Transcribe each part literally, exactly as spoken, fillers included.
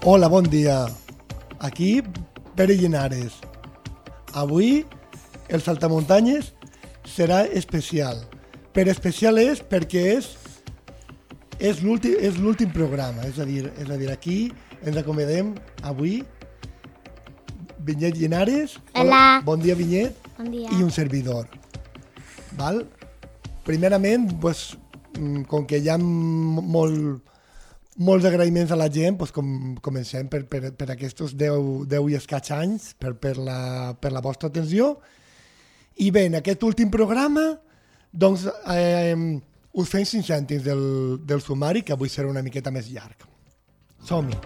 Hola, bon dia. Aquí, Pere Llinares. Avui, el Saltamuntanyes serà especial. Per especial és perquè és, és l'últim és l'últim programa. És a dir, és a dir, aquí ens acomiadem avui Vinyet Llinares. Hola. Bon dia, Vinyet. Bon dia. I un servidor. Val? Primerament, pues, com que hi ha molt, molts agraïments a la gent, pues, com, comencem per, per, per aquests deu, deu i escaig anys, per, per, la, per la vostra atenció. I bé, en aquest últim programa, doncs, eh, us fem cinc cèntims del, del sumari, que avui serà una miqueta més llarg. Som-hi.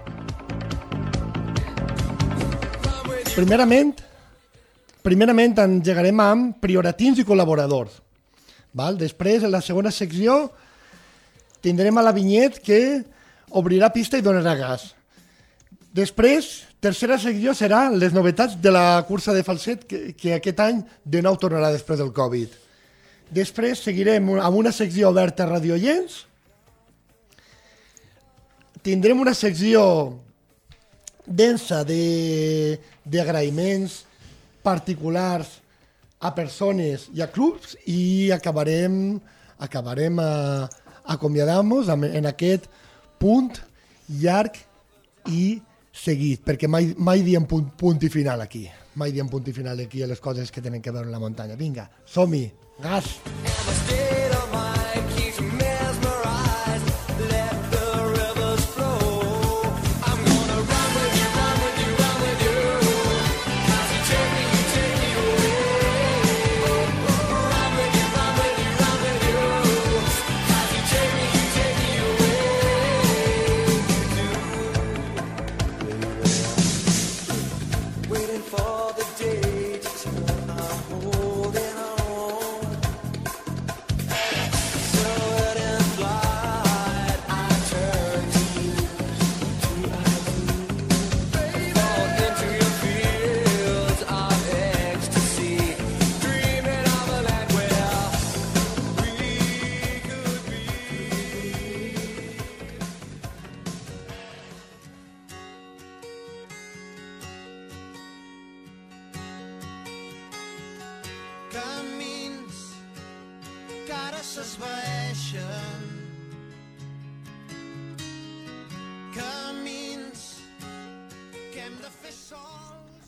Primerament, primerament engegarem amb prioratins i col·laboradors. Val? Després, en la segona secció, tindrem a la Vinyet que obrirà pista i donarà gas. Després, tercera secció serà les novetats de la cursa de falset que, que aquest any de nou tornarà després del Covid. Després seguirem amb una secció oberta a radioients. Tindrem una secció densa de, d'agraïments particulars a persones i a clubs i acabarem, acabarem a, acomiadant-nos en aquest punt llarg i seguit, perquè mai, mai diem punt, punt i final aquí, mai diem punt i final aquí a les coses que tenen que veure en la muntanya. Vinga, som-hi, gas!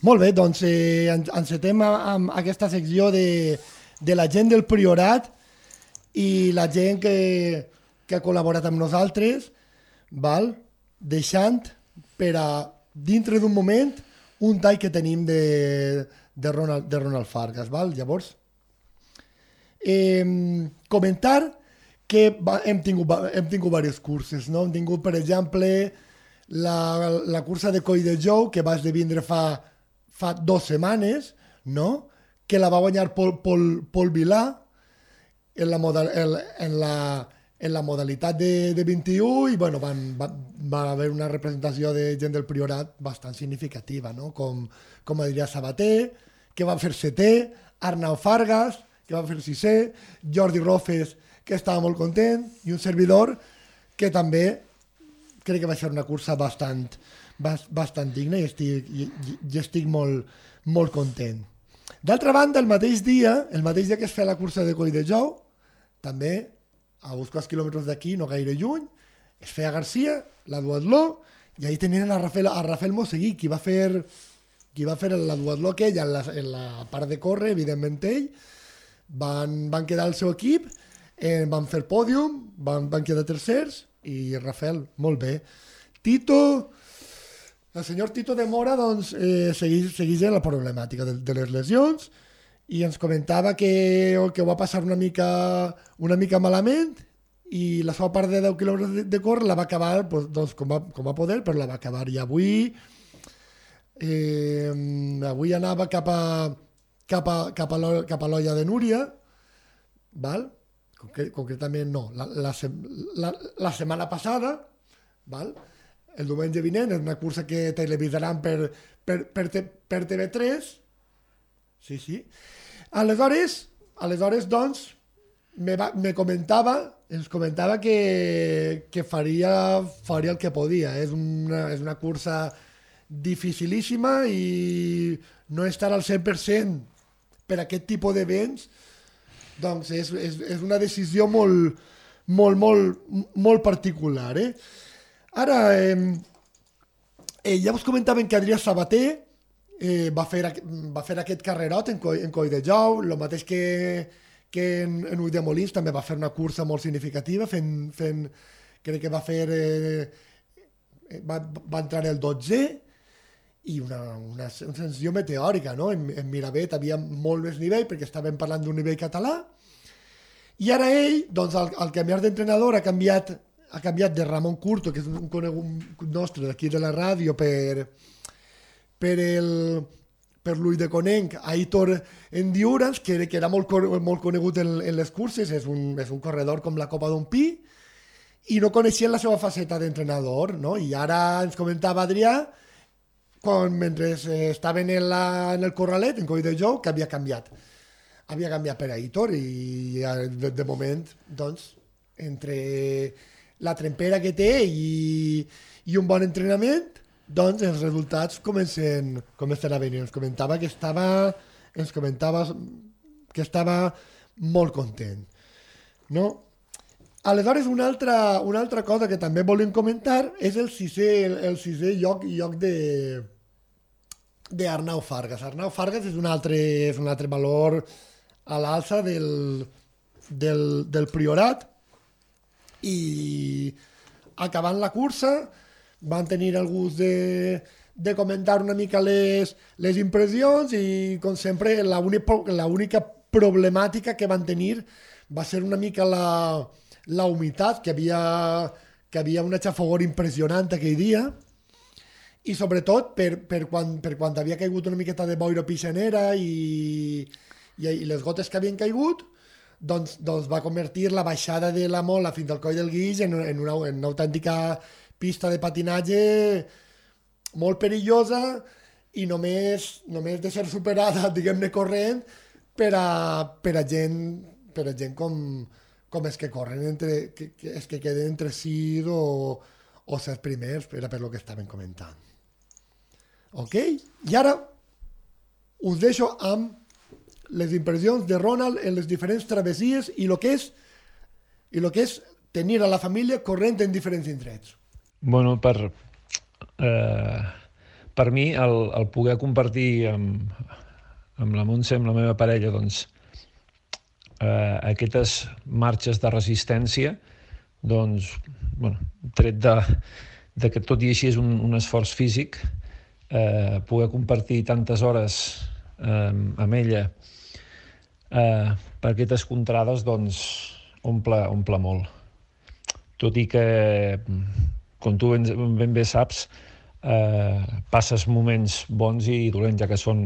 Molt bé, doncs eh, encetem amb aquesta secció de, de la gent del Priorat i la gent que, que ha col·laborat amb nosaltres, val? Deixant per a, dintre d'un moment, un tall que tenim de, de, Ronald, de Ronald Fargas. Val? Llavors, eh, comentar que va, hem, tingut, hem tingut diverses curses. No? Hem tingut, per exemple, la, la cursa de Coll de Jou, que va esdevindre fa... fa dues setmanes, no? Que la va guanyar Pol, Pol, Pol Vilà en la, modal, en, en la, en la modalitat de, de vint-i-u i bueno, van, va, va haver una representació de gent del Priorat bastant significativa, no? Com, com Adrià Sabater, que va fer setè, Arnau Fargas, que va fer sisè, Jordi Rofes, que estava molt content, i un servidor que també crec que va ser una cursa bastant bastant digna i estic, i, i estic molt, molt content. D'altra banda, el mateix dia, el mateix dia que es feia la cursa de Coll de Jou, també, a uns quants quilòmetres d'aquí, no gaire lluny, es feia a Garcia, la duatló, i ahí tenien a Rafael, a Rafael Moseguí, qui va fer, qui va fer la duatló aquella en la, en la part de córrer, evidentment ell, van, van quedar el seu equip, eh, van fer pòdium, van, van quedar tercers, i Rafael, molt bé. Tito... El senyor Tito de Mora doncs, eh, segueix, segueix en la problemàtica de, de les lesions i ens comentava que, que ho va passar una mica, una mica malament i la seva part de deu quilòmetres de, de córrer la va acabar doncs, doncs, com, va, com va poder, però la va acabar. I avui, eh, avui anava cap a, cap a, cap a, l'O- cap a l'Olla de Núria, val? Concre- concretament no, la, la, sem- la, la setmana passada, val? El diumenge vinent, és una cursa que televisaran per, per, per, per T V tres. Sí, sí. Aleshores, aleshores doncs, me, va, me comentava ens comentava que, que faria, faria el que podia. És una, és una cursa dificilíssima i no estar al cent per cent per aquest tipus d'events, doncs és, és, és una decisió molt, molt, molt, molt particular. Eh? Ara, eh, eh, ja us comentaven que Adrià Sabater eh, va, fer, va fer aquest carrerot en, Coi, en Colldejou, el mateix que, que en, en Ulldemolins també va fer una cursa molt significativa, fent, fent crec que va fer... Eh, va, va entrar el dotze i una, una, una sensació meteòrica, no? En, en Miravet havia molt més nivell perquè estàvem parlant d'un nivell català i ara ell, doncs al, al canviar d'entrenador ha canviat, ha canviat de Ramon Curto, que és un conegut nostre d'aquí de la ràdio, per, per el per l'Ulldeconnenc, a Aitor Endurance, que, que era molt, molt conegut en, en les curses, és un, és un corredor com la Copa d'un Pi, i no coneixien la seva faceta d'entrenador, no? I ara ens comentava Adrià, quan, mentre estaven en, la, en el corralet, en Colldejou, que havia canviat. Havia canviat per Aitor i de, de moment, doncs, entre la trempera que té i, i un bon entrenament, doncs els resultats comencen, comencen a venir. Ens comentava que estava, ens comentava que estava molt content. No? Aleshores, una altra, una altra cosa que també volem comentar és el sisè, el, el sisè lloc, lloc de, de Arnau Fargas. Arnau Fargas és un altre, és un altre valor a l'alça del, del, del Priorat i acabant la cursa van tenir el gust de, de comentar una mica les, les impressions i, com sempre, l'única problemàtica que van tenir va ser una mica la, la humitat, que havia, que havia una xafogor impressionant aquell dia, i sobretot per, per, quan, per quan havia caigut una miqueta de boira pixanera i, i, i les gotes que havien caigut, doncs, doncs va convertir la baixada de la Mola fins al Coll del Guix en, en, una, en una autèntica pista de patinatge molt perillosa i només, només de ser superada, diguem-ne, corrent per a, per a gent, per a gent com, com és que corren, entre, que, que, és que queden entre sis o, o set primers, era per lo que estaven comentant. Ok? I ara us deixo amb les impressions de Ronald en les diferents travessies i el que és, i lo que és tenir a la família corrent en diferents indrets. Bueno, per, eh, per mi, el, el poder compartir amb, amb la Montse, amb la meva parella, doncs, eh, aquestes marxes de resistència, doncs, bueno, tret de, de que tot i així és un, un esforç físic, eh, poder compartir tantes hores eh, amb ella eh, per aquestes contrades, doncs, omple, omple molt. Tot i que, com tu ben, ben bé saps, eh, passes moments bons i dolents, ja que són,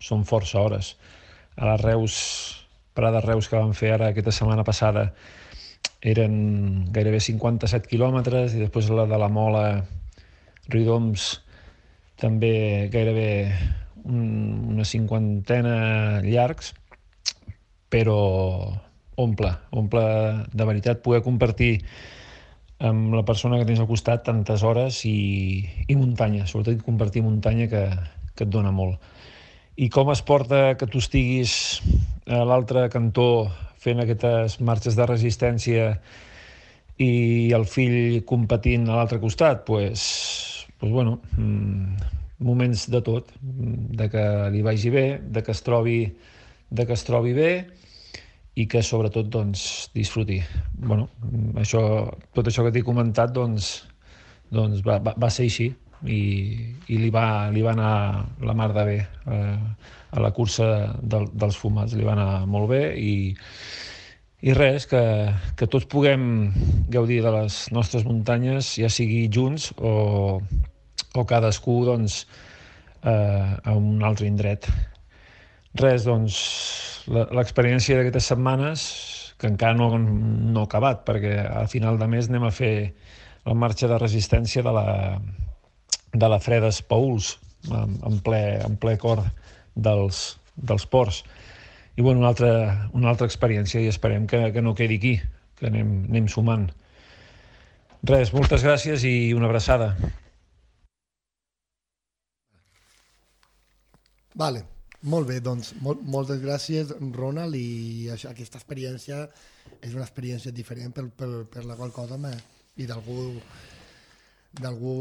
són força hores. A les Reus, parades Reus que vam fer ara aquesta setmana passada, eren gairebé cinquanta-set quilòmetres, i després la de la Mola, Riudoms, també gairebé un, una cinquantena llargs, però omple, omple de veritat poder compartir amb la persona que tens al costat tantes hores i, i muntanya, sobretot compartir muntanya que, que et dona molt. I com es porta que tu estiguis a l'altre cantó fent aquestes marxes de resistència i el fill competint a l'altre costat? Pues, pues bueno, moments de tot, de que li vagi bé, de que es trobi, de que es trobi bé, i que sobretot doncs, disfruti. Bueno, això, tot això que t'he comentat doncs, doncs va, va, va ser així i, i li, va, li va anar la mar de bé eh, a la cursa del, dels fumats, li va anar molt bé i, i res, que, que tots puguem gaudir de les nostres muntanyes, ja sigui junts o, o cadascú doncs, eh, a un altre indret. Res, doncs, l'experiència d'aquestes setmanes, que encara no, no ha acabat, perquè a final de mes anem a fer la marxa de resistència de la, de la Fredes Pauls, en, en, ple, en ple cor dels, dels ports. I bueno, una altra, una altra experiència, i esperem que, que no quedi aquí, que anem, anem sumant. Res, moltes gràcies i una abraçada. Vale, molt bé, doncs mol, moltes gràcies, Ronald, i això, aquesta experiència és una experiència diferent per, per, per la qual cosa me, i d'algú d'algú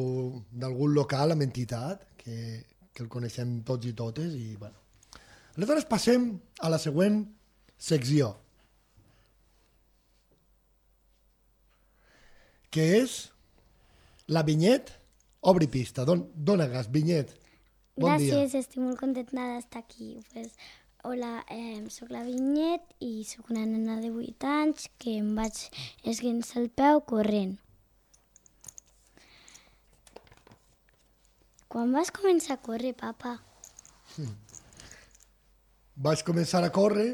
d'algun local amb entitat que, que el coneixem tots i totes i bueno. Aleshores passem a la següent secció, que és la Vinyet Obri Pista. Don, dona gas, Vinyet. Bon Gràcies, dia. estic molt contenta d'estar aquí. Pues, hola, eh, soc la Vinyet i soc una nena de vuit anys que em vaig esguinçar el peu corrent. Quan vas començar a córrer, papa? Vaig començar a córrer,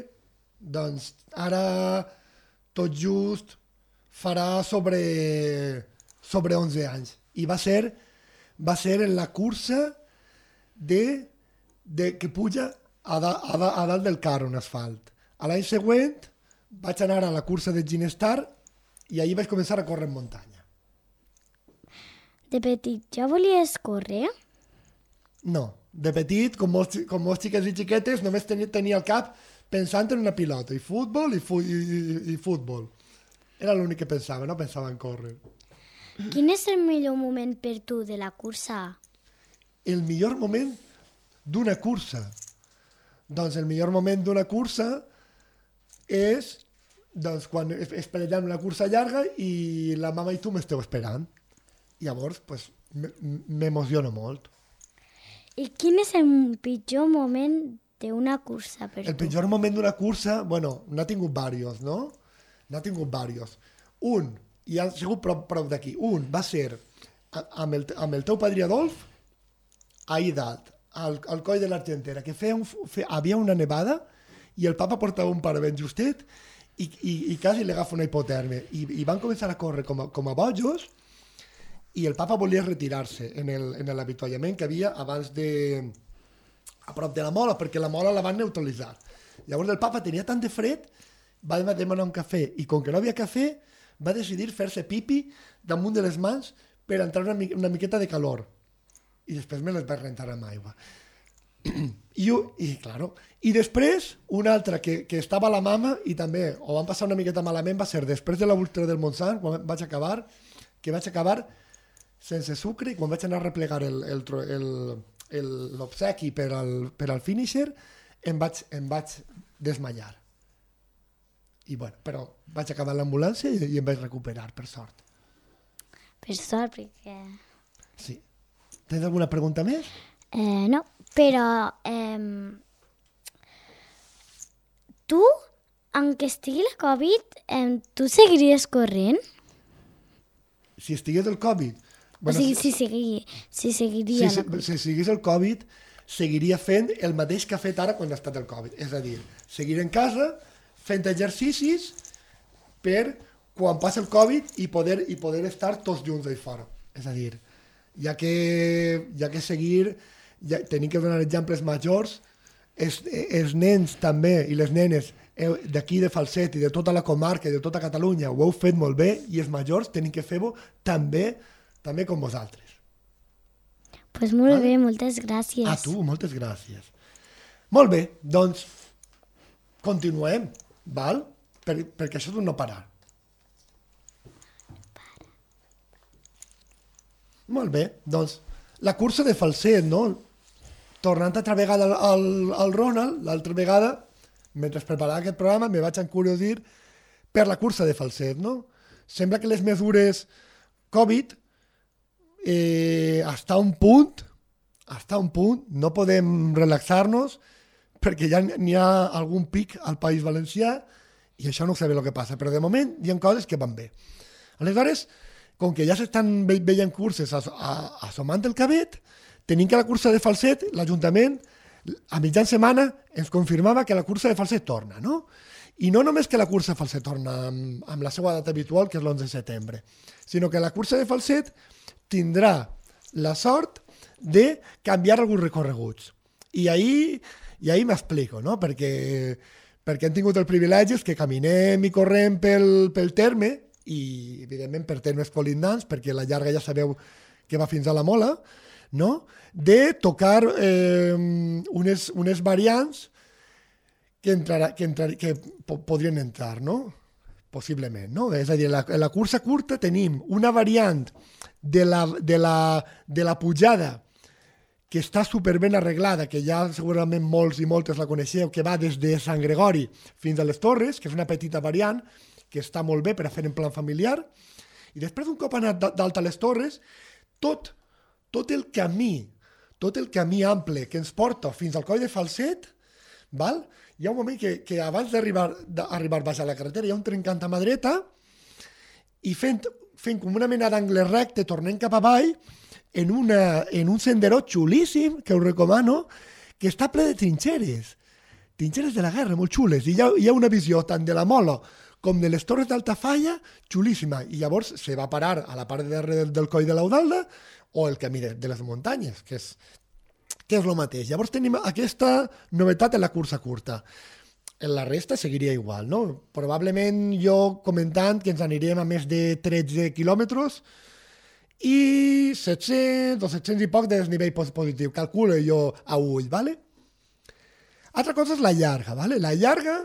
doncs ara tot just farà sobre, sobre onze anys. I va ser, va ser en la cursa de, de que puja a, da, a, da, a dalt del carro en asfalt. A l'any següent vaig anar a la cursa de Ginestar i ahir vaig començar a córrer en muntanya. De petit ja volies córrer? No, de petit, com molts, com molts xiquets i xiquetes, només tenia, tenia el cap pensant en una pilota, i futbol, i, fu, i, i, i futbol. Era l'únic que pensava, no pensava en córrer. Quin és el millor moment per tu de la cursa? El millor moment d'una cursa. Doncs el millor moment d'una cursa és doncs, quan esperem la cursa llarga i la mama i tu m'esteu esperant. Llavors, pues, m'emociono molt. I quin és el pitjor moment d'una cursa per tu? El pitjor moment d'una cursa, bueno, n'ha tingut diversos, no? N'ha tingut diversos. Un, i ha sigut prop, prop d'aquí, un va ser amb el, amb el teu padrí Adolf, ahir dalt, al, al coll de l'Argentera, que feia un, fe, havia una nevada i el papa portava un par ben justet i, i, i quasi li agafa una hipotèrmia. I, i van començar a córrer com a, com a bojos i el papa volia retirar-se en el, en l'avituallament que havia abans de... a prop de la mola, perquè la mola la van neutralitzar. Llavors el papa tenia tant de fred, va demanar un cafè, i com que no havia cafè, va decidir fer-se pipi damunt de les mans per entrar una, mi una miqueta de calor. I després me les va rentar amb aigua. I, i, claro, i després, una altra que, que estava a la mama i també ho van passar una miqueta malament va ser després de la Ultra del Montsant, quan vaig acabar, que vaig acabar sense sucre, i quan vaig anar a replegar l'obsequi per, al, per al finisher, em vaig, em vaig desmallar. I bueno, però vaig acabar l'ambulància i, i em vaig recuperar, per sort. Per sort, perquè... Sí. Tens alguna pregunta més? Eh, no, però... Eh, tu, aunque estigui la Covid, eh, tu seguiries corrent? Si estigués el Covid... Bueno, o sigui, si, segui, si seguiria... Si, si, si seguís el Covid, seguiria fent el mateix que ha fet ara quan ha estat el Covid. És a dir, seguir en casa, fent exercicis per quan passa el Covid i poder, i poder estar tots junts allà fora. És a dir, ja que, ja que seguir, ja, tenim que donar exemples majors, els, els nens també i les nenes d'aquí de Falset i de tota la comarca i de tota Catalunya ho heu fet molt bé i els majors tenim que fer-ho també també com vosaltres. Pues molt vale? bé, moltes gràcies. A tu, moltes gràcies. Molt bé, doncs continuem, val? Per, perquè això és un no parar. Molt bé, doncs la cursa de Falset, no? Tornant altra vegada al, al, al Ronald, l'altra vegada, mentre preparava aquest programa, me vaig encuriosir per la cursa de Falset, no? Sembla que les mesures Covid eh, hasta un punt, hasta un punt, no podem relaxar-nos perquè ja n'hi ha algun pic al País Valencià i això no sabem el que passa, però de moment hi ha coses que van bé. Aleshores, com que ja s'estan ve veient curses assomant el cabet, tenim que la cursa de Falset, l'Ajuntament, a mitjan setmana ens confirmava que la cursa de Falset torna, no? I no només que la cursa de Falset torna amb, amb la seva data habitual, que és l'onze de setembre, sinó que la cursa de Falset tindrà la sort de canviar alguns recorreguts. I ahir, i ahir m'explico, no? Perquè, perquè hem tingut el privilegi que caminem i correm pel, pel terme, i evidentment per termes colindants, perquè la llarga ja sabeu que va fins a la Mola, no? De tocar eh, unes, unes variants que, entrarà, que, entrar, que po podrien entrar, no? Possiblement, no? És a dir, la, la cursa curta tenim una variant de la, de la, de la pujada que està superben arreglada, que ja segurament molts i moltes la coneixeu, que va des de Sant Gregori fins a les Torres, que és una petita variant, que està molt bé per a fer en plan familiar, i després d'un cop anat dalt a les Torres, tot, tot el camí, tot el camí ample que ens porta fins al coll de Falset, val? Hi ha un moment que, que abans d'arribar d'arribar baix a la carretera hi ha un trencant a mà dreta, i fent, fent com una mena d'angle recte, tornem cap avall, en, una, en un senderó xulíssim, que us recomano, que està ple de trinxeres, trinxeres de la guerra, molt xules, i hi ha, hi ha una visió tant de la Mola com de les Torres d'Altafalla, xulíssima, i llavors se va parar a la part de darrere del, del coll de l'Eudalda o el camí de, de les muntanyes, que és, que és el mateix. Llavors tenim aquesta novetat en la cursa curta. En la resta seguiria igual, no? Probablement jo comentant que ens anirem a més de tretze quilòmetres, i set-cents o set-cents i poc de desnivell positiu, calculo jo a ull, ¿vale? Altra cosa és la llarga, ¿vale? La llarga,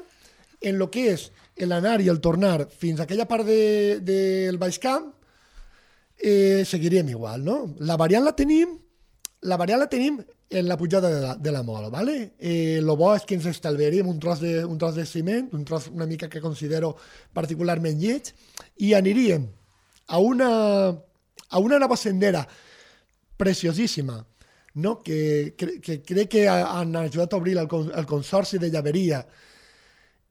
en lo que és l'anar i el tornar fins a aquella part del de, de Baix Camp, eh, seguiríem igual, no? La variant la tenim, la variant la tenim en la pujada de la, de la Mola, ¿vale? Eh, lo bo és que ens estalviaríem un tros, de, un tros de ciment, un tros una mica que considero particularment lleig, i aniríem a una... a una nova sendera preciosíssima, no? que, que, que crec que han ajudat a obrir el, el Consorci de Llaveria,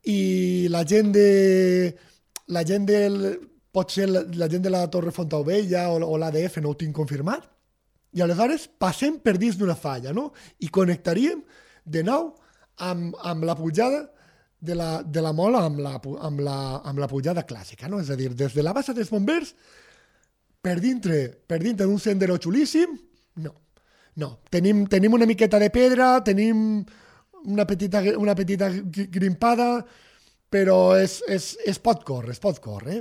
i la gent de la gent del, pot ser la, la gent de la Torre Fontaubella o, o l'A D F, no ho tinc confirmat, i aleshores passem per dins d'una falla, no? I connectaríem de nou amb, amb la pujada de la, de la Mola, amb la, amb, la, amb la pujada clàssica, no? És a dir, des de la bassa dels Bombers per dintre, per dintre d'un sendero xulíssim, no. No, tenim, tenim una miqueta de pedra, tenim una petita, una petita grimpada, però es, es, es pot córrer, es pot córrer.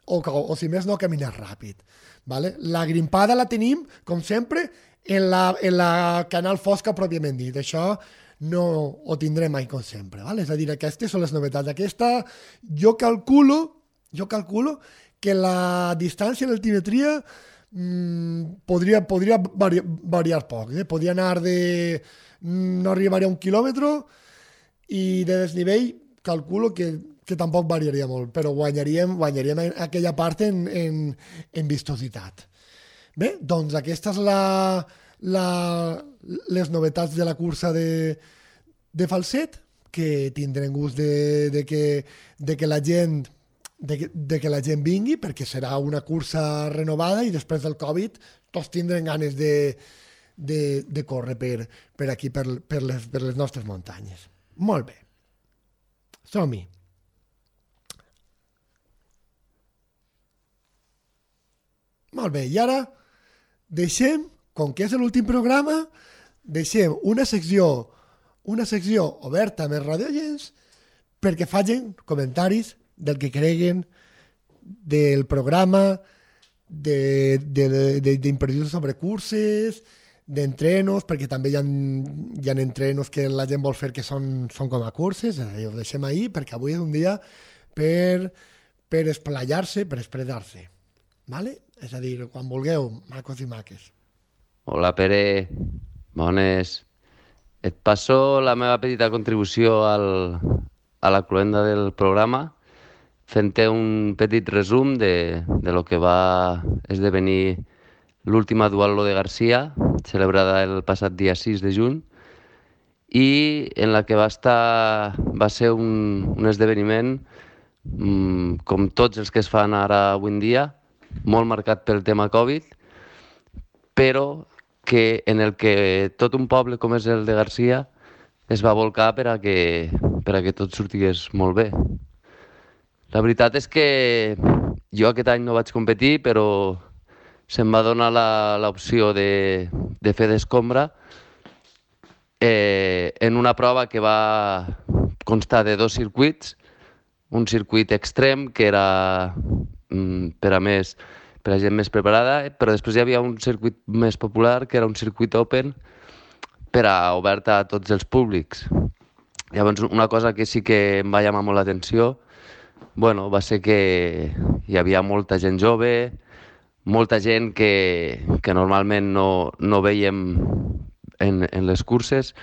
O, o, o si més no, caminar ràpid. Vale? La grimpada la tenim, com sempre, en la, en la canal fosca pròpiament dit. Això no ho tindrem mai com sempre. Vale? És a dir, aquestes són les novetats. Aquesta, jo calculo, jo calculo que la distància en l'altimetria mmm, podria, podria variar, variar poc. Eh? Podria anar de... no arribaria a un quilòmetre, i de desnivell calculo que, que tampoc variaria molt, però guanyaríem, guanyaríem aquella part en, en, en vistositat. Bé, doncs aquesta és la, la, les novetats de la cursa de, de Falset, que tindrem gust de, de, que, de que la gent De que, de que la gent vingui, perquè serà una cursa renovada, i després del Covid tots tindrem ganes de, de, de córrer per, per aquí, per, per, les, per les nostres muntanyes. Molt bé. Som-hi. Molt bé, i ara deixem, com que és l'últim programa, deixem una secció, una secció oberta amb els radioients perquè facin comentaris del que creguen del programa, d'impressions sobre curses, d'entrenos, perquè també hi ha, hi ha entrenos que la gent vol fer que són, són com a curses, ho deixem ahir perquè avui és un dia per, per esplayar-se, per expressar-se. ¿Vale? És a dir, quan vulgueu, macos i maques. Hola, Pere. Bones. Et passo la meva petita contribució al, a la cloenda del programa, fent-te un petit resum de, de lo que va esdevenir l'última Duathlon de Garcia, celebrada el passat dia sis de juny, i en la que va estar, va ser un, un esdeveniment, mmm, com tots els que es fan ara avui en dia, molt marcat pel tema Covid, però que en el que tot un poble com és el de Garcia es va volcar per a que, per a que tot sortigués molt bé. La veritat és que jo aquest any no vaig competir, però se'm va donar l'opció de, de fer d'escombra eh, en una prova que va, consta de dos circuits, un circuit extrem que era mm, per a més per a gent més preparada, però després hi havia un circuit més popular que era un circuit open per a obert a tots els públics. Llavors, una cosa que sí que em va llamar molt l'atenció, bueno, va ser que hi havia molta gent jove, molta gent que, que normalment no, no veiem en, en les curses,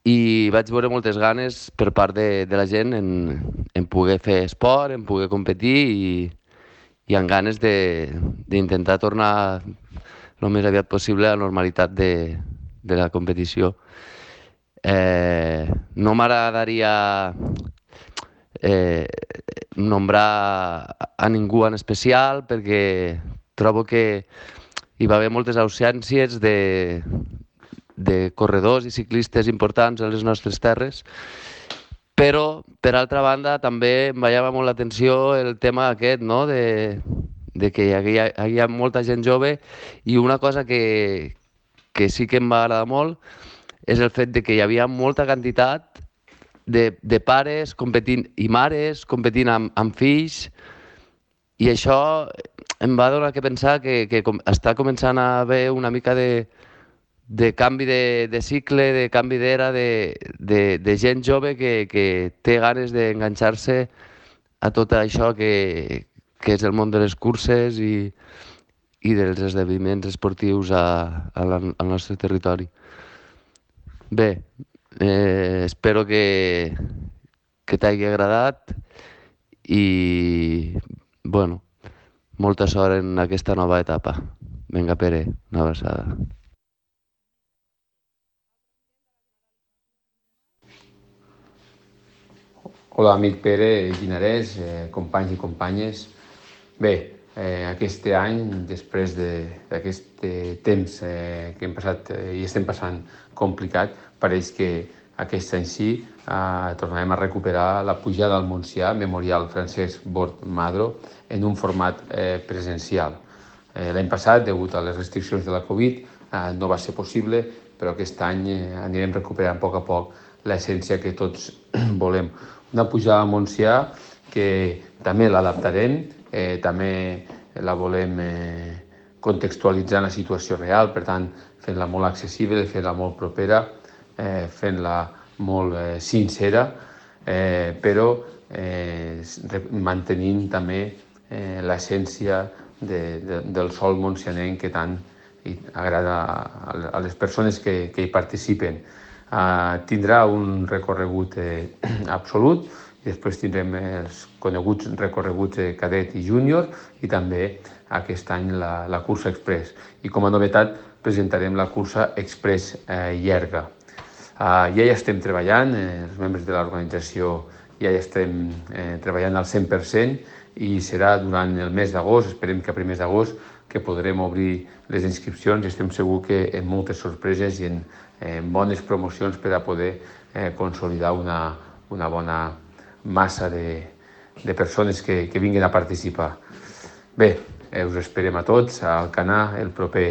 i vaig veure moltes ganes per part de, de la gent en, en poder fer esport, en poder competir i, i amb ganes d'intentar tornar el més aviat possible a la normalitat de, de la competició. Eh, no m'agradaria eh, nombrar a ningú en especial perquè trobo que hi va haver moltes ausències de, de corredors i ciclistes importants a les nostres terres, però, per altra banda, també em va llamar molt l'atenció el tema aquest, no?, de, de que hi havia, hi havia molta gent jove, i una cosa que, que sí que em va agradar molt és el fet de que hi havia molta quantitat de, de pares competint i mares competint amb, amb fills, i això em va donar que pensar que, que com, està començant a haver una mica de de canvi de, de cicle, de canvi d'era, de, de, de gent jove que, que té ganes d'enganxar-se a tot això que, que és el món de les curses i, i dels esdeveniments esportius a, a la, al nostre territori. Bé, eh, espero que, que t'hagi agradat i, bueno, molta sort en aquesta nova etapa. Vinga, Pere, una abraçada. Hola, amic Pere Guinarès, eh, companys i companyes. Bé, eh, aquest any, després d'aquest de, temps eh, que hem passat eh, i estem passant complicat, pareix que aquest any sí eh, tornarem a recuperar la pujada al Montsià, Memorial Francesc Bort Madro, en un format eh, presencial. Eh, L'any passat, degut a les restriccions de la Covid, eh, no va ser possible, però aquest any eh, anirem recuperant a poc a poc l'essència que tots volem. Una pujada al Montsià que també l'adaptarem, eh, també la volem eh, contextualitzar en la situació real, per tant, fent-la molt accessible, fent-la molt propera, eh, fent-la molt eh, sincera, eh, però eh, mantenint també eh, l'essència de, de, del sol montsianenc que tant agrada a, a les persones que, que hi participen. Uh, tindrà un recorregut eh, absolut i després tindrem els coneguts recorreguts de cadet i júnior i també aquest any la, la cursa express. I com a novetat presentarem la cursa express eh, llarga. Uh, ja hi estem treballant, eh, els membres de l'organització ja hi estem eh, treballant al cent per cent i serà durant el mes d'agost, esperem que a primers d'agost, que podrem obrir les inscripcions i estem segurs que en moltes sorpreses i en, en bones promocions per a poder eh, consolidar una, una bona massa de, de persones que, que vinguin a participar. Bé, eh, us esperem a tots al Canà el proper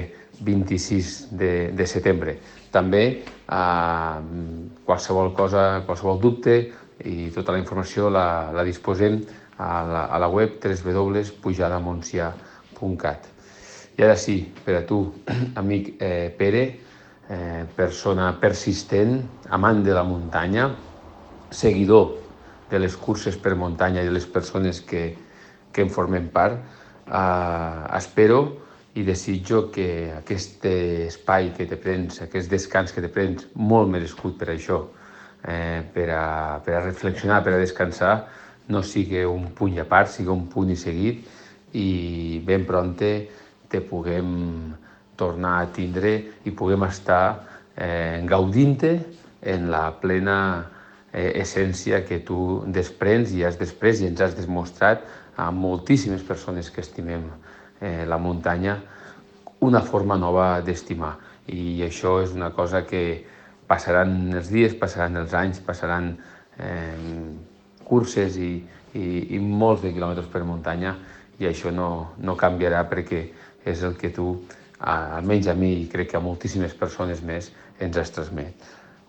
vint-i-sis de, de setembre. També eh, qualsevol cosa, qualsevol dubte i tota la informació la, la disposem a la, a la web w w w punt pujada montsià punt cat. I ara sí, per a tu, amic eh, Pere, eh, persona persistent, amant de la muntanya, seguidor de les curses per muntanya i de les persones que, que en formem part, eh, espero i desitjo que aquest espai que te prens, aquest descans que te prens, molt merescut per això, eh, per, a, per a reflexionar, per a descansar, no sigui un punt a part, sigui un punt i seguit, i ben prompte te puguem tornar a tindre i puguem estar eh, gaudint-te en la plena eh, essència que tu desprens i has després i ens has demostrat a moltíssimes persones que estimem eh, la muntanya una forma nova d'estimar. I això és una cosa que passaran els dies, passaran els anys, passaran eh, curses i, i, i molts de quilòmetres per muntanya i això no, no canviarà perquè és el que tu, almenys a mi i crec que a moltíssimes persones més, ens has transmet.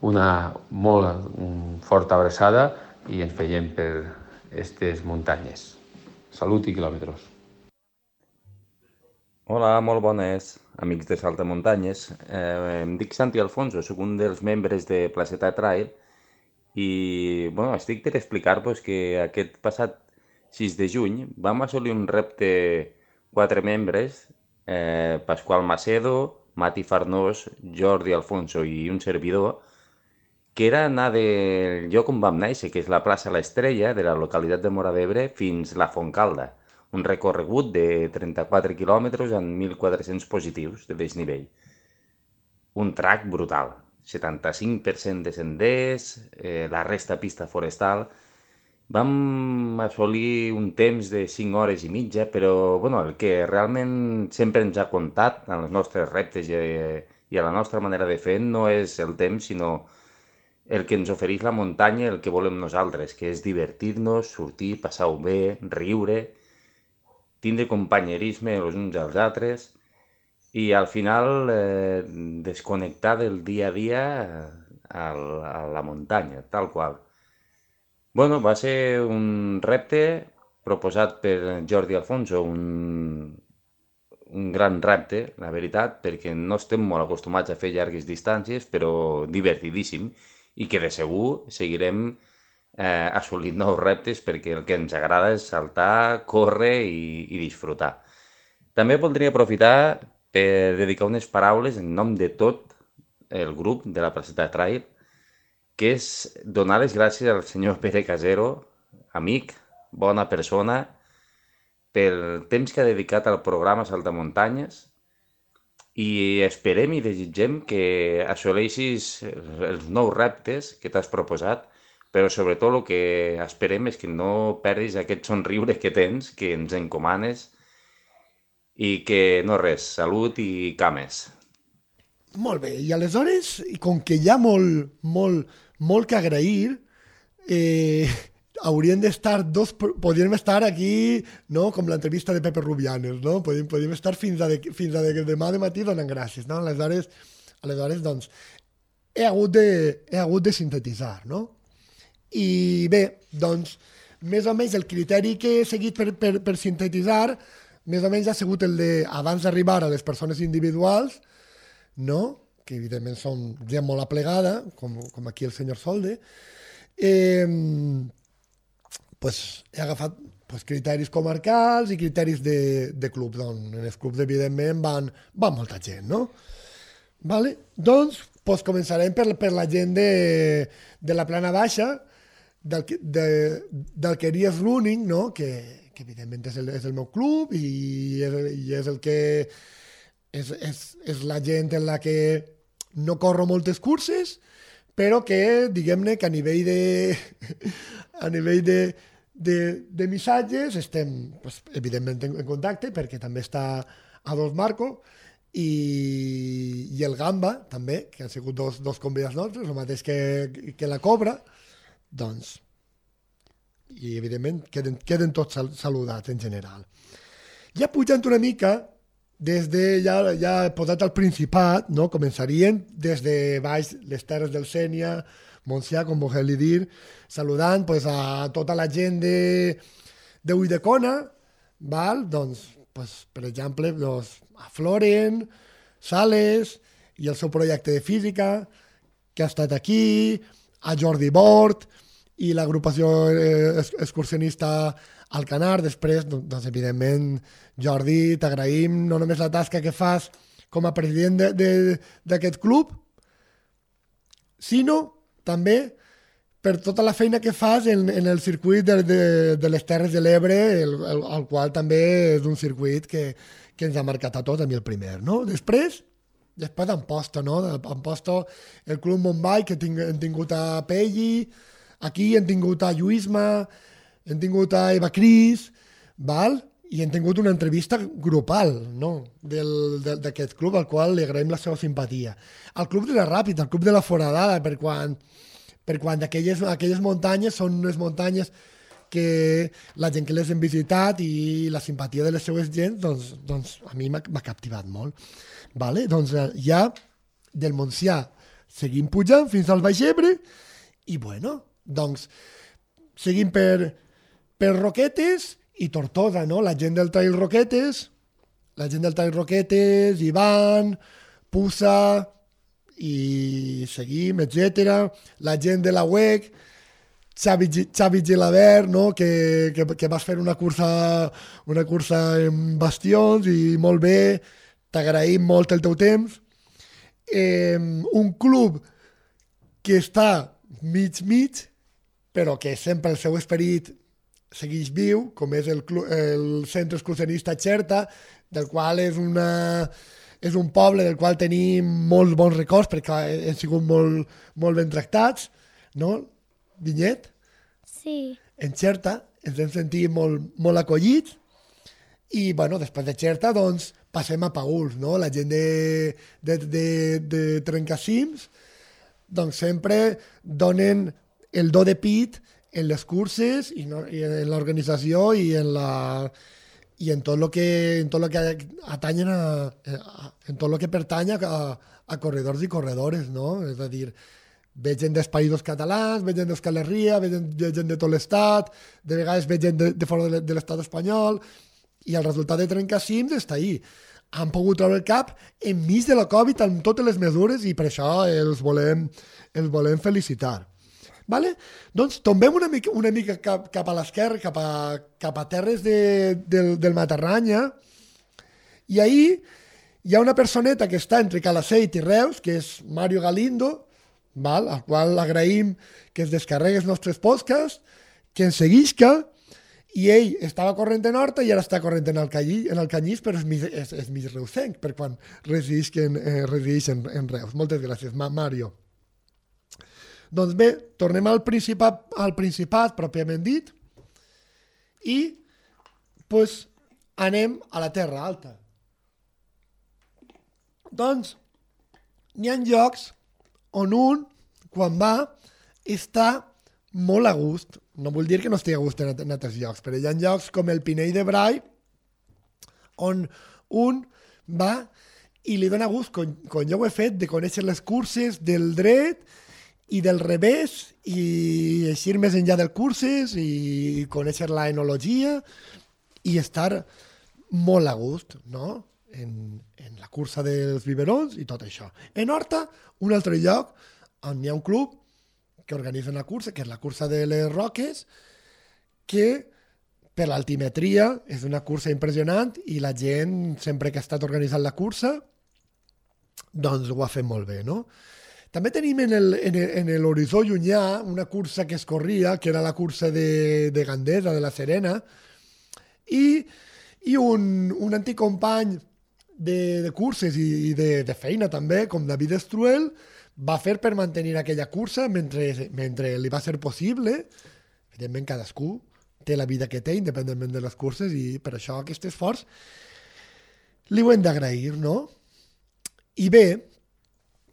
una molt un forta abraçada i ens veiem per aquestes muntanyes. Salut i quilòmetres. Hola, molt bones, amics de Saltamuntanyes. Eh, em dic Santi Alfonso, soc un dels membres de Placeta Trail i bueno, estic per explicar-vos que aquest passat sis de juny vam assolir un repte quatre membres, eh, Pasqual Macedo, Mati Farnós, Jordi Alfonso i un servidor, que era anar del lloc on vam néixer, que és la plaça L'Estrella, de la localitat de Móra d'Ebre, fins la Fontcalda. Un recorregut de trenta-quatre quilòmetres amb mil quatre-cents positius de desnivell. Un track brutal. setanta-cinc per cent de senders, eh, la resta pista forestal. Vam assolir un temps de cinc hores i mitja, però bueno, el que realment sempre ens ha comptat en els nostres reptes i, i a la nostra manera de fer no és el temps, sinó el que ens ofereix la muntanya, el que volem nosaltres, que és divertir-nos, sortir, passar-ho bé, riure, tindre companyerisme els uns als altres i al final eh, desconnectar del dia a dia a, a la muntanya, tal qual. Bueno, va ser un repte proposat per Jordi Alfonso, un, un gran repte, la veritat, perquè no estem molt acostumats a fer llargues distàncies, però divertidíssim, i que de segur seguirem eh, assolint nous reptes perquè el que ens agrada és saltar, córrer i, i disfrutar. També voldria aprofitar per dedicar unes paraules en nom de tot el grup de la Placeta Trail, que és donar les gràcies al senyor Pere Casero, amic, bona persona, pel temps que ha dedicat al programa Saltamuntanyes i esperem i desitgem que assoleixis els nous reptes que t'has proposat, però sobretot el que esperem és que no perdis aquest somriure que tens, que ens encomanes i que no res, salut i cames. Molt bé, i aleshores, com que hi ha molt, molt, molt que agrair, eh, haurien d'estar dos, podríem estar aquí, no?, com l'entrevista de Pepe Rubianes, no? Podríem, podríem estar fins a, de, fins a de, demà de matí donant gràcies, no? Aleshores, aleshores doncs, he hagut de, he hagut de sintetitzar, no? I bé, doncs, més o menys el criteri que he seguit per, per, per sintetitzar, més o menys ha sigut el de, abans d'arribar a les persones individuals, no?, que evidentment són gent molt aplegada, com, com aquí el senyor Solde, eh, pues, he agafat pues, criteris comarcals i criteris de, de clubs, on en els clubs evidentment van, van molta gent, no? Vale? Doncs pues, començarem per, per la gent de, de la plana baixa, del, de, del Queries Running, no? que, que evidentment és el, és el meu club i és, i és el que és, és, és la gent en la que no corro moltes curses, però que, diguem-ne, que a nivell de a nivell de, de, de missatges estem, pues, evidentment, en, en contacte, perquè també està a dos Marco i, i el Gamba, també, que han sigut dos, dos convidats nostres, el mateix que, que la Cobra, doncs, i evidentment queden, queden tots sal, saludats en general. Ja pujant una mica, des de, ja, ja posat al Principat, no? Començarien des de baix les terres del Sénia, Montsià, com vulgueu dir, saludant pues, a tota la gent de, de Ulldecona, val? Doncs, pues, per exemple, doncs, a Floren, Sales i el seu projecte de física, que ha estat aquí, a Jordi Bort i l'agrupació eh, excursionista Alcanar. Després, doncs, evidentment, Jordi, t'agraïm no només la tasca que fas com a president d'aquest club, sinó també per tota la feina que fas en, en el circuit de, de, de les Terres de l'Ebre, el, el, el qual també és un circuit que, que ens ha marcat a tots, a mi el primer, no? Després, després d'Amposta, no? Amposta, el Club Montbai, que ting, hem tingut a Pelli, aquí hem tingut a Lluïsma, hem tingut a Eva Cris, val? I hem tingut una entrevista grupal, no? D'aquest club, al qual li agraïm la seva simpatia. El Club de la Ràpida, el Club de la Foradada, per quan, per quan aquelles, aquelles muntanyes són unes muntanyes que la gent que les hem visitat i la simpatia de les seues gent, doncs, doncs a mi m'ha captivat molt. Vale? Doncs ja del Montsià seguim pujant fins al Baix Ebre i, bueno, doncs, seguim per, per Roquetes i Tortosa, no? La gent del Trail Roquetes, la gent del Trail Roquetes, Ivan, Pusa, i seguim, etcètera. La gent de la U E C, Xavi, Xavi Gilabert, no? que, que, que vas fer una cursa, una cursa en bastions i molt bé, t'agraïm molt el teu temps. Eh, un club que està mig-mig, però que sempre el seu esperit segueix viu, com és el, club, el Centre Excursionista Xerta, del qual és una... És un poble del qual tenim molts bons records perquè hem sigut molt, molt ben tractats, no, Vinyet? Sí. En Xerta ens hem sentit molt, molt acollits i, bueno, després de Xerta, doncs, passem a Paüls, no? La gent de, de, de, de Trencacims, doncs, sempre donen el do de pit en les curses i, no, i en l'organització i en la... i en tot el que, en tot lo que atanyen a, a, en tot el que pertany a, a corredors i corredores, no? És a dir, ve gent dels països catalans, ve gent d'Euskal Herria, ve gent, ve gent de tot l'estat, de vegades ve gent de, de fora de, de l'estat espanyol, i el resultat de Trencacims està ahí. Han pogut treure el cap enmig de la Covid amb totes les mesures i per això els volem, els volem felicitar. Vale? Doncs tombem una mica, una mica cap, cap a l'esquerra, cap, a, cap a terres de, del, del Matarranya, i ahir hi ha una personeta que està entre Calaceit i Reus, que és Mario Galindo, val? Al qual agraïm que es descarregui els nostres podcasts, que ens seguisca, i ell estava corrent en Horta i ara està corrent en el, Callí, en el Canyís, però és mig, és, és mig reusenc, per quan resideix en, eh, resideix en, en Reus. Moltes gràcies, Ma, Mario. Doncs bé, tornem al Principat, al Principat pròpiament dit i pues, anem a la Terra Alta. Doncs n'hi ha llocs on un, quan va, està molt a gust. No vull dir que no estigui a gust en, en altres llocs, però hi ha llocs com el Pinell de Brai on un va i li dona gust, com, com jo ho he fet, de conèixer les curses del dret i del revés, i eixir més enllà dels curses, i conèixer la enologia, i estar molt a gust, no? En, en la cursa dels biberons i tot això. En Horta, un altre lloc on hi ha un club que organitza una cursa, que és la cursa de les Roques, que per l'altimetria és una cursa impressionant i la gent, sempre que ha estat organitzant la cursa, doncs ho ha fet molt bé, no? També tenim en el, en el, en l'horitzó llunyà una cursa que es corria, que era la cursa de, de Gandesa, de la Serena, i, i un, un antic company de, de curses i, i de, de feina també, com David Estruel, va fer per mantenir aquella cursa mentre, mentre li va ser possible. Evidentment, cadascú té la vida que té, independentment de les curses, i per això aquest esforç li ho hem d'agrair, no? I bé,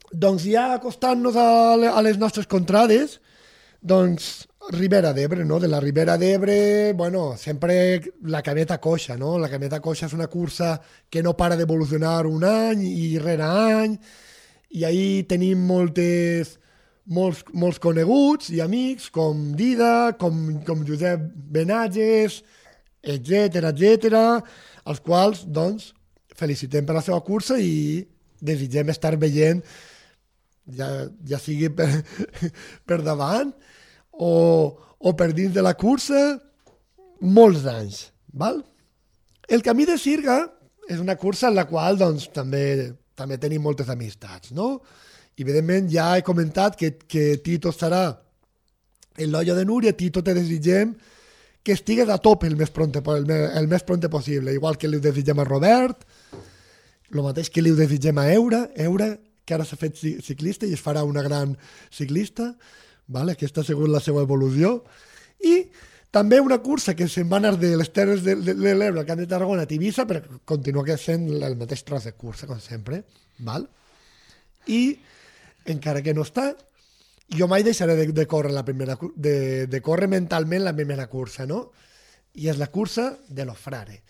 doncs ja acostant-nos a, a les nostres contrades, doncs Ribera d'Ebre, no? De la Ribera d'Ebre, bueno, sempre la cameta coixa, no? La cameta coixa és una cursa que no para d'evolucionar un any i rere any, i ahí tenim moltes, molts, molts coneguts i amics, com Dida, com, com Josep Benatges, etcètera, etcètera, els quals, doncs, felicitem per la seva cursa i desitgem estar veient, ja, ja sigui per, per davant o, o per dins de la cursa, molts anys. Val? El Camí de Sirga és una cursa en la qual doncs, també, també tenim moltes amistats, no? I, evidentment, ja he comentat que, que Tito estarà en l'Olla de Núria. Tito, te desitgem que estigues a tope el més pronte, el, el més pronte possible, igual que li desitgem a Robert, el mateix que li desitgem a Eura, Eura, que ara s'ha fet ciclista i es farà una gran ciclista, vale? Aquesta ha sigut la seva evolució. I també una cursa que se'n va anar de les Terres de, de, de l'Ebre al Camp de Tarragona a Tivissa, però continua sent el mateix tros de cursa, com sempre. Val? I, encara que no està, jo mai deixaré de, de córrer la primera, de, de córrer mentalment la primera cursa, no? I és la cursa de los Frare,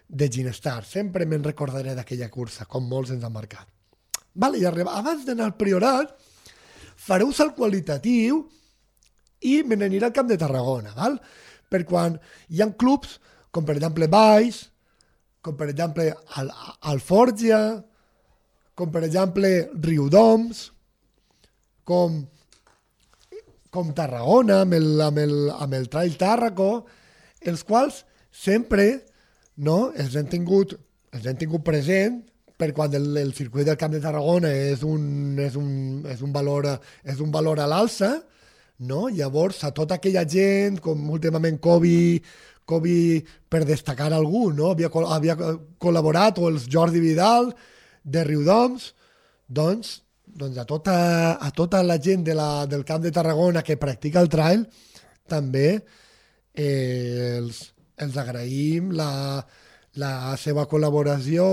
de Ginestar. Sempre me'n recordaré d'aquella cursa, com molts ens han marcat. Vale, i arriba, abans d'anar al Priorat, faré un salt qualitatiu i me n'aniré al Camp de Tarragona, val? Per quan hi ha clubs, com per exemple Valls, com per exemple Al Alforja, com per exemple Riudoms, com, com Tarragona, amb el, amb el, amb el Trail Tàrraco, els quals sempre, no, els hem tingut, els hem tingut present, per quan el, el circuit del Camp de Tarragona és un, és un, és un, valor, és un valor a l'alça, no? Llavors, a tota aquella gent, com últimament Kobe, Kobe per destacar algú, no? havia, havia col·laborat, o els Jordi Vidal, de Riudoms, doncs, doncs a, tota, a tota la gent de la, del Camp de Tarragona que practica el trail, també eh, els, els agraïm la, la seva col·laboració,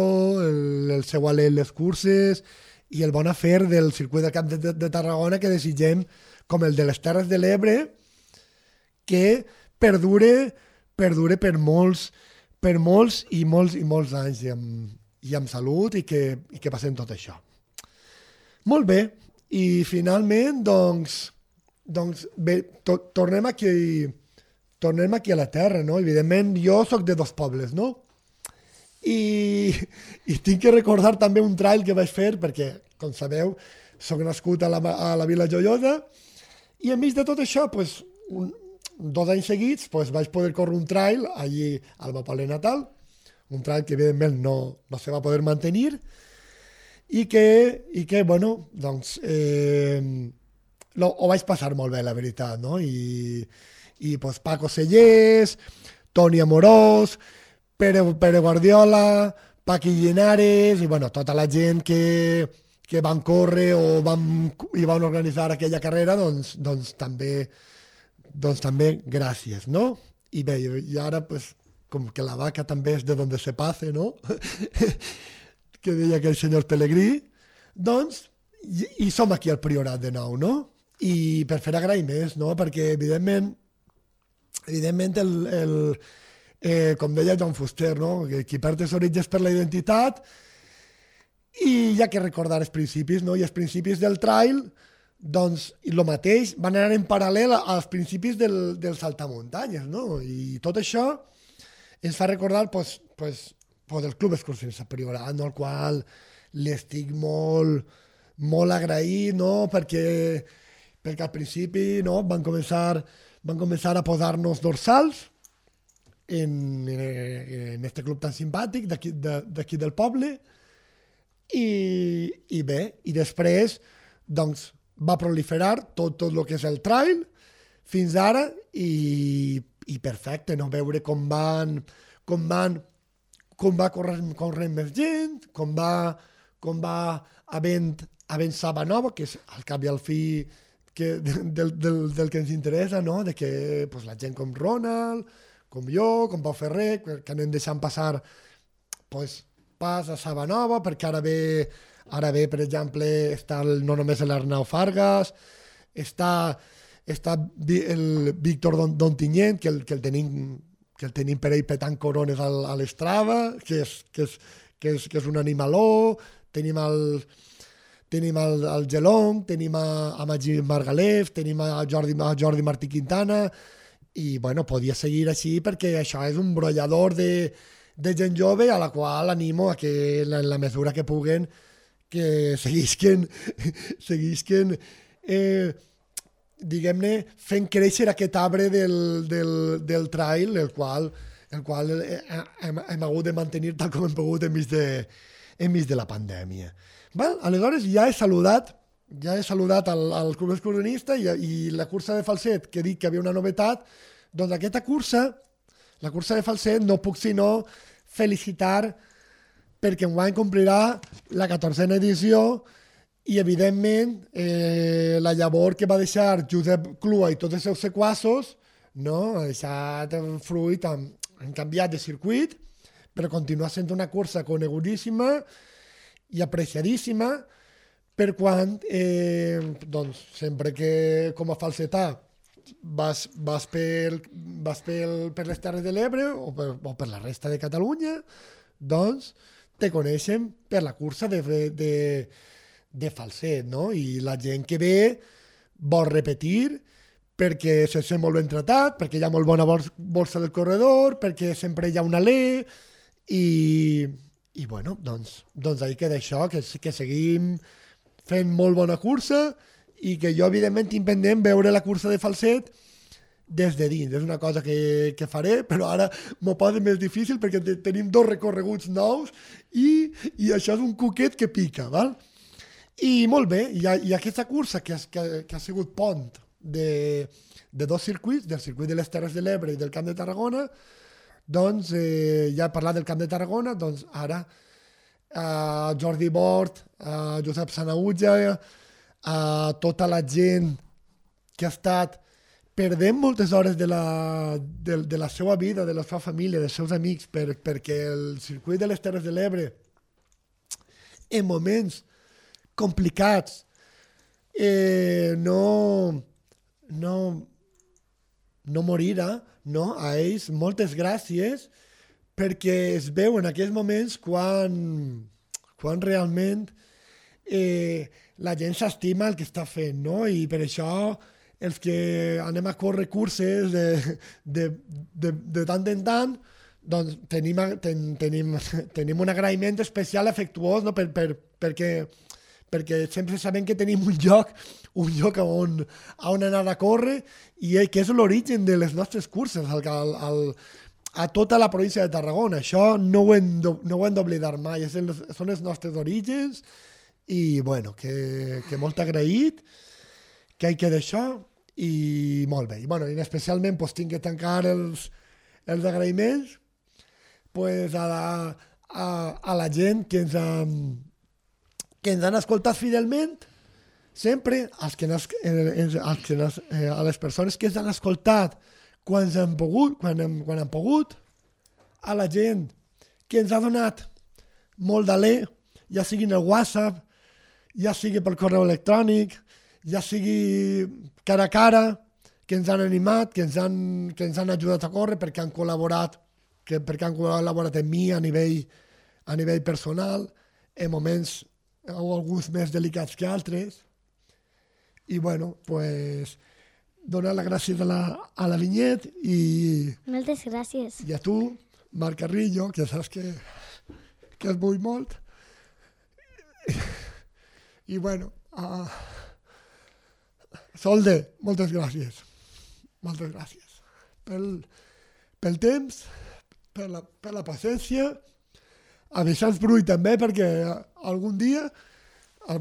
el, el seu alè en les curses i el bon afer del circuit del Camp de, de, de Tarragona, que desitgem, com el de les Terres de l'Ebre, que perdure, perdure per molts, per molts i molts i molts anys i amb, i amb salut, i que, i que passem tot això. Molt bé, i finalment, doncs, doncs bé, to, tornem aquí, tornem aquí a la terra, no? Evidentment, jo sóc de dos pobles, no? I, i tinc que recordar també un trail que vaig fer, perquè, com sabeu, soc nascut a la, a la Vila Joiosa, i enmig de tot això, pues, un, dos anys seguits, pues, vaig poder córrer un trail allí al meu poble natal, un trail que evidentment no, no se va poder mantenir, i que, i que bueno, doncs, eh, lo, ho vaig passar molt bé, la veritat, no? I, i pues, Paco Sellers, Toni Amorós, Pere, Pere Guardiola, Paqui Llinares, i bueno, tota la gent que, que van córrer o van, i van organitzar aquella carrera, doncs, doncs, també, doncs també gràcies, no? I bé, i ara, pues, com que la vaca també és de donde se pase, no? Que deia aquell senyor Pelegrí, doncs, i, i som aquí al Priorat de nou, no? I per fer agraïments, no? Perquè, evidentment, evidentment, el, el, eh, com deia Joan Fuster, no? Que qui perd els orígens per la identitat, i hi ha que recordar els principis, no? I els principis del trail, doncs, i el mateix, van anar en paral·lel als principis del, del saltamuntanyes, no? I tot això ens fa recordar, pues, pues, pues el Club Excursionista Priorat, no? Al qual l'estic molt, molt agraït, no? Perquè, perquè al principi, no? Van començar, van començar a posar-nos dorsals en, en este club tan simpàtic d'aquí de, d'aquí del poble, i, i bé, i després, doncs, va proliferar tot, tot el que és el trail fins ara, i, i perfecte, no? Veure com van, com van, com va córrer, córrer més gent, com va, com va havent, havent saba nova, que és al cap i al fi que, del, del, del que ens interessa, no? De que pues, la gent com Ronald, com jo, com Pau Ferrer, que anem deixant passar pues, pas a saba nova, perquè ara ve, ara ve, per exemple, està el, no només l'Arnau Fargas, està, està el Víctor Don, Dontinyent, que el, que el tenim que el tenim per ell petant corones al, a l'Estrava, que és, que, és, que, és, que és un animaló, tenim el, tenim el, el Gelong, tenim a, a Magí Margalef, tenim a Jordi, a Jordi Martí Quintana, i bueno, podia seguir així perquè això és un brollador de, de gent jove a la qual animo a que en la, la mesura que puguen que seguisquen, seguisquen eh, diguem-ne, fent créixer aquest arbre del, del, del trail, el qual, el qual hem, hem hagut de mantenir tal com hem pogut enmig de, enmig de la pandèmia. Val? Aleshores ja he saludat, ja he saludat al, al Club Excursionista i, i la cursa de Falset, que he dit que havia una novetat, doncs aquesta cursa, la cursa de Falset, no puc sinó felicitar perquè enguany complirà la catorzena edició i, evidentment, eh, la llavor que va deixar Josep Clua i tots els seus sequassos, no? Ha deixat fruit, han, han canviat de circuit, però continua sent una cursa conegudíssima i apreciadíssima per quan, eh, doncs, sempre que com a falsetà vas, vas, per, vas per, per les Terres de l'Ebre o per, o per la resta de Catalunya, doncs te coneixen per la cursa de, de, de Falset, no? I la gent que ve, vol repetir, perquè se sent molt ben tratat, perquè hi ha molt bona borsa del corredor, perquè sempre hi ha un alè, i, i bueno, doncs, doncs ahí queda això, que, que seguim fent molt bona cursa i que jo, evidentment, tinc pendent veure la cursa de falset des de dins. És una cosa que, que faré, però ara m'ho posa més difícil perquè tenim dos recorreguts nous i, i això és un cuquet que pica, val? I molt bé, i, i aquesta cursa que, que, que ha sigut pont de, de dos circuits, del circuit de les Terres de l'Ebre i del Camp de Tarragona, doncs eh, ja he parlat del Camp de Tarragona, doncs ara a Jordi Bort, a Josep Sanaüja, a tota la gent que ha estat perdent moltes hores de la, de, de la seva vida, de la seva família, dels seus amics, per, perquè el circuit de les Terres de l'Ebre, en moments complicats, eh, no, no, no morirà, no? A ells moltes gràcies, perquè es veu en aquells moments quan, quan realment eh, la gent s'estima el que està fent, no? I per això els que anem a córrer curses de, de, de, de tant en tant, doncs tenim, ten, tenim, tenim un agraïment especial, afectuós, no? per, per, perquè, perquè sempre sabem que tenim un lloc, un lloc on, on anar a córrer i que és l'origen de les nostres curses al, al, al, a tota la província de Tarragona. Això no ho hem, no ho hem d'oblidar mai, és el, són els nostres orígens i bueno, que, que molt agraït, que hi queda això. I molt bé, i, bueno, i especialment pues, tinc que tancar els, els agraïments pues, a, la, a, a la gent que ens, han, que ens han escoltat fidelment, sempre als que ens, ens, als que ens, eh, a les persones que ens han escoltat quan han pogut, quan hem, quan han pogut, a la gent que ens ha donat molt d'alè, ja sigui en el WhatsApp, ja sigui pel correu electrònic, ja sigui cara a cara, que ens han animat, que ens han, que ens han ajudat a córrer perquè han col·laborat, que, perquè han col·laborat amb mi a nivell, a nivell personal, en moments o alguns més delicats que altres. I bueno, pues, donar les gràcies a la, a la Vinyet i... Moltes gràcies. I a tu, Marc Carrillo, que saps que, que et vull molt. I bueno... Uh, Solde, moltes gràcies. Moltes gràcies. Pel, pel temps, per la, per la paciència, a Vicenç Brull també, perquè algun dia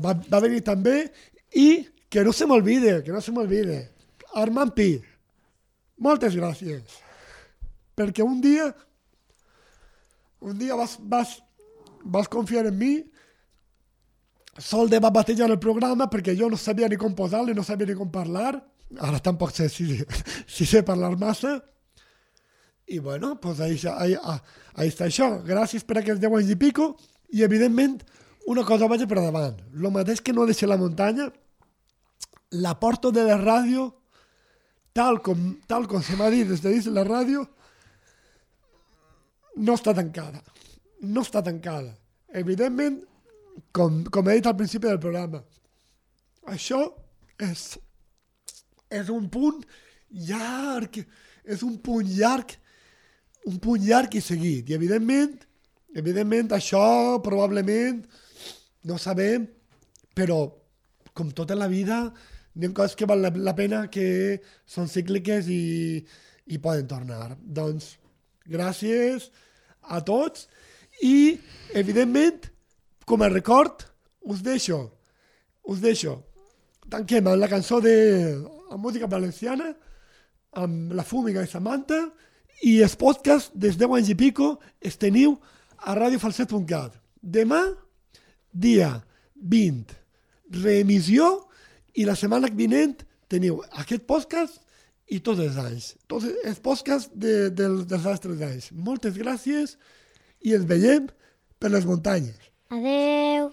va, va venir també, i que no se m'olvide, que no se m'olvide, Armand Pi, moltes gràcies. Perquè un dia, un dia vas, vas, vas confiar en mi. Solde va batejar el programa perquè jo no sabia ni com posar-le, no sabia ni com parlar. Ara tampoc sé si, si sé parlar massa. I bueno, pues ahí, ahí, ahí està això. Gràcies per aquests deu anys i pico. I evidentment, una cosa vaig per davant. El mateix que no deixa la muntanya, la porta de la ràdio, tal com, tal com se m'ha dit des de dins de la ràdio, no està tancada. No està tancada. Evidentment, Com, com he dit al principi del programa, això és, és un punt llarg, és un punt llarg, un punt llarg i seguit. I evidentment, evidentment això probablement no sabem, però com tota la vida, hi ha coses que val la, la pena, que són cícliques i, i poden tornar. Doncs gràcies a tots i evidentment, com a record, us deixo, us deixo. Tanquem amb la cançó de amb música valenciana, amb la Fúmiga i Samantha, i els podcasts des deu anys i pico els teniu a radio falset punt cat. Demà, dia vint, reemissió, i la setmana vinent teniu aquest podcast i tots els anys. Tots els podcasts de, de, dels altres anys. Moltes gràcies i ens veiem per les muntanyes. Adeu.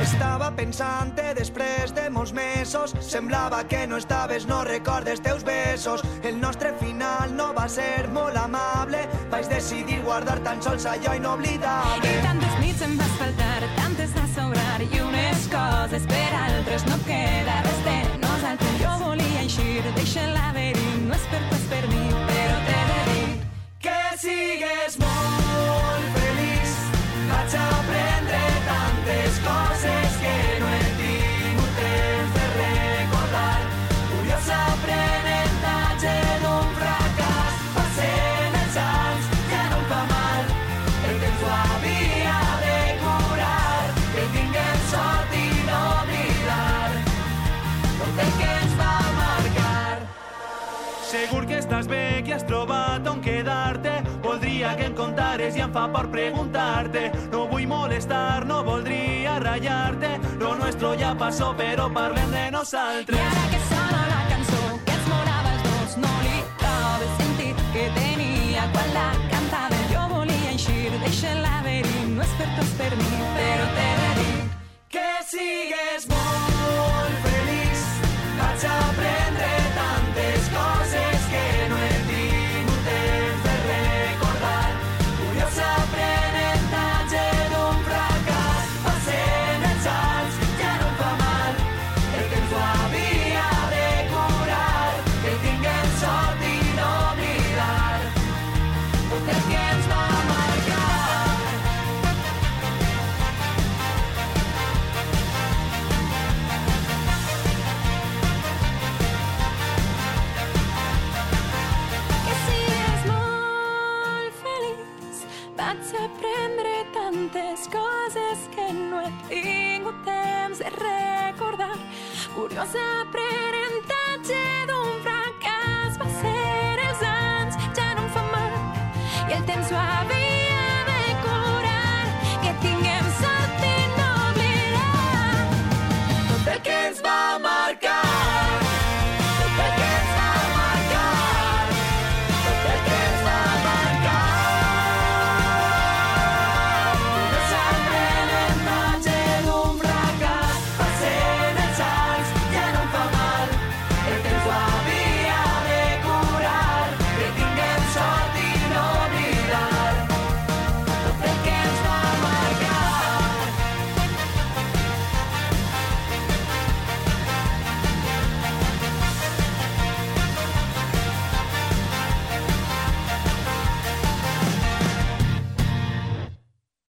Estava pensant pensant-te després de molts mesos. Semblava que no estaves, no recordes teus besos. El nostre final no va ser molt amable. Vaig decidir guardar tan sols allò inoblidable. I tantes nits em vas faltar, tantes a sobrar, i unes coses per altres no queda res de nosaltres. Jo volia eixir, deixa el laberint, no és per tu, és per mi, però t'he de dir que sigues molt feliç. Vaig aprendre tantes coses que no he tingut temps de recordar. Curiós aprenentatge d'un fracàs. Passen els anys, ja no em fa mal. El temps ho havia de curar. Que tinguem sort i no oblidar tot el que ens va marcar. Segur que estàs bé, que has trobat on quedar-te. Voldria que em contares i em fa por preguntar-te. No vull molestar, no voldria ratllar-te. Lo nuestro ja passó, però parlem de nosaltres. I ara que sona la cançó que ens morava els dos, no li trobes sentit que tenia quan la cantava. Jo volia eixir, deixa el laberint, no és per tu, és per mi, però t'he de dir que sigues molt feliç. Vaig aprendre tantes coses que no he tingut temps de recordar. Curiós aprenentatge d'un fracàs. Passen els anys, ja no em fa mal. El temps ho havia de curar. Que tinguem sort i no oblidar tot el que ens va marcar. Vaig aprendre tantes coses que no he tingut temps de recordar. Curiós aprendre